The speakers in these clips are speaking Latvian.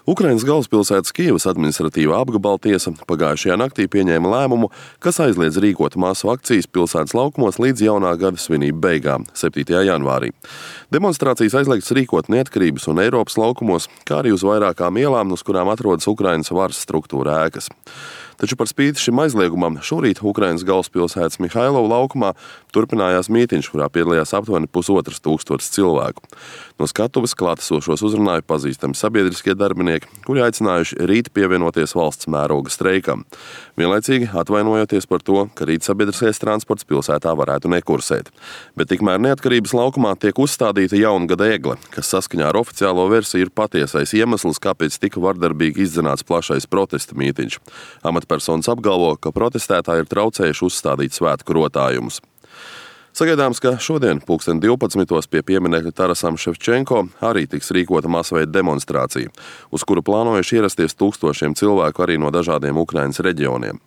Ukrainas galvaspilsētas Kijevas administratīvā apgabala tiesa pagājušajā naktī pieņēma lēmumu, kas aizliedz rīkot masu akcijas pilsētas laukumos līdz jaunā gada svinību beigām, 7. janvārī. Demonstrācijas aizliegts rīkot Neatkarības un Eiropas laukumos, kā arī uz vairākām ielām, uz kurām atrodas Ukrainas varas struktūra ēkas. Taču par spīti šim aizliegumam šorīt Ukrainas galvaspilsētas Mihailova laukumā turpinājās mītiņš, kurā piedalījās aptuveni 1500 cilvēku. No skatuves klātesošos uzrunāja pazīstami sabiedriskie darbinieki, kuri aicinājuši rīt pievienoties valsts mēroga streikam, vienlaicīgi atvainojoties par to, ka rīt sabiedriskais transports pilsētā varētu nekursēt. Bet tikmēr Neatkarības laukumā tiek uzstādīta jaungada egle, kas saskaņā ar oficiālo versiju ir patiesais iemesls, kāpēc tika vardarbīgi izdzenāts plašais protesta mītiņš. Amatpersonas apgalvo, ka protestētāji ir traucējuši uzstādīt svētku rotājumus. Sagaidāms, ka šodien 12. pie pieminekļa Tarasam Ševčenko arī tiks rīkota masveida demonstrācija, uz kuru plānojuši ierasties tūkstošiem cilvēku arī no dažādiem Ukrainas reģioniem.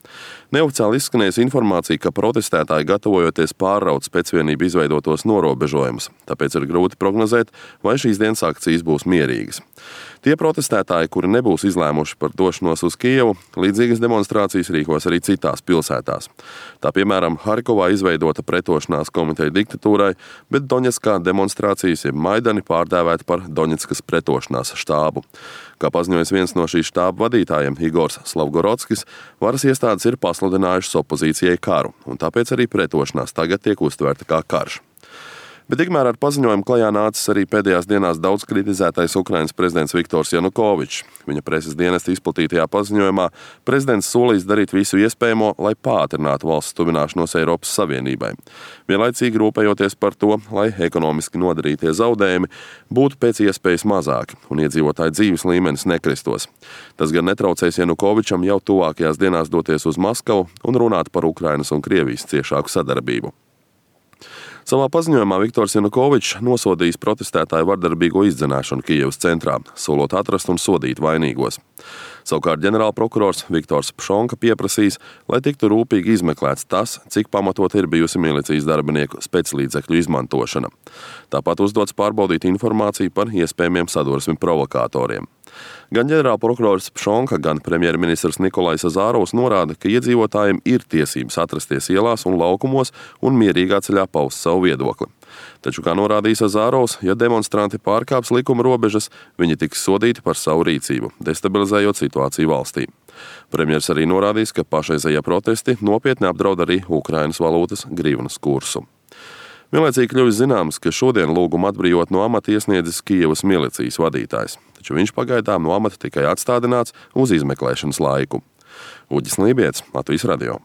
Neoficiāli izskanējusi informācija, ka protestētāji gatavojoties pārraut spēcvienību izveidotos norobežojumus, tāpēc ir grūti prognozēt, vai šīs dienas akcijas būs mierīgas. Tie protestētāji, kuri nebūs izlēmuši par došanos uz Kijevu, līdzīgas demonstrācijas rīkos arī citās pilsētās. Tā piemēram, Harkovā izveidota pretošanās komiteja diktatūrai, bet Doņetskā demonstrācijas jeb Maidani pārdēvēta par Doņetskas pretošanās štābu. Kā paziņojas viens no šīs štāba vadītājiem, Igors Slavgorodskis, varas iestādes ir pasludinājušas opozīcijai karu, un tāpēc arī pretošanās tagad tiek uztverta kā karš. Bet tikmēr ar paziņojumu klajā nācis arī pēdējās dienās daudz kritizētais Ukrainas prezidents Viktors Janukovičs. Viņa preses dienesta izplatītajā paziņojumā prezidents solīs darīt visu iespējamo, lai pātrinātu valsts tuvināšanos Eiropas Savienībai. Vienlaicīgi rūpējoties par to, lai ekonomiski nodarītie zaudējumi būtu pēc iespējas mazāki un iedzīvotāju dzīves līmenis nekristos. Tas gan netraucēs Janukovičam jau tuvākajās dienās doties uz Maskavu un runāt par Ukrainas un Krievijas ciešāku sadarbību. Savā paziņojumā Viktors Janukovičs nosodījis protestētāju vardarbīgo izdzenāšanu Kijevas centrā, solot atrast un sodīt vainīgos. Savukārt ģenerālprokurors Viktors Pšonka pieprasīs, lai tiktu rūpīgi izmeklēts tas, cik pamatot ir bijusi milicijas darbinieku speclīdzekļu izmantošana. Tāpat uzdots pārbaudīt informāciju par iespējamiem sadursmi provokātoriem. Gan ģenerālprokurors Pšonka, gan premjerministrs Nikolais Azārovs norāda, ka iedzīvotājiem ir tiesības atrasties ielās un laukumos un mierīgā ceļā paust savu viedokli. Taču, kā norādījis Azārovs, ja demonstranti pārkāps likuma robežas, viņi tiks sodīti par savu rīcību, destabilizējot situāciju valstī. Premjers arī norādījis, ka pašreizējie protesti nopietni apdraud arī Ukrainas valūtas grivnas kursu. Vienlaicīgi kļuvis zināms, ka šodien lūgumu atbrīvot no amata iesniedzis Kijevas milicijas vadītājs, taču viņš pagaidām no amata tikai atstādināts uz izmeklēšanas laiku. Uģis Lībietis, Latvijas radio.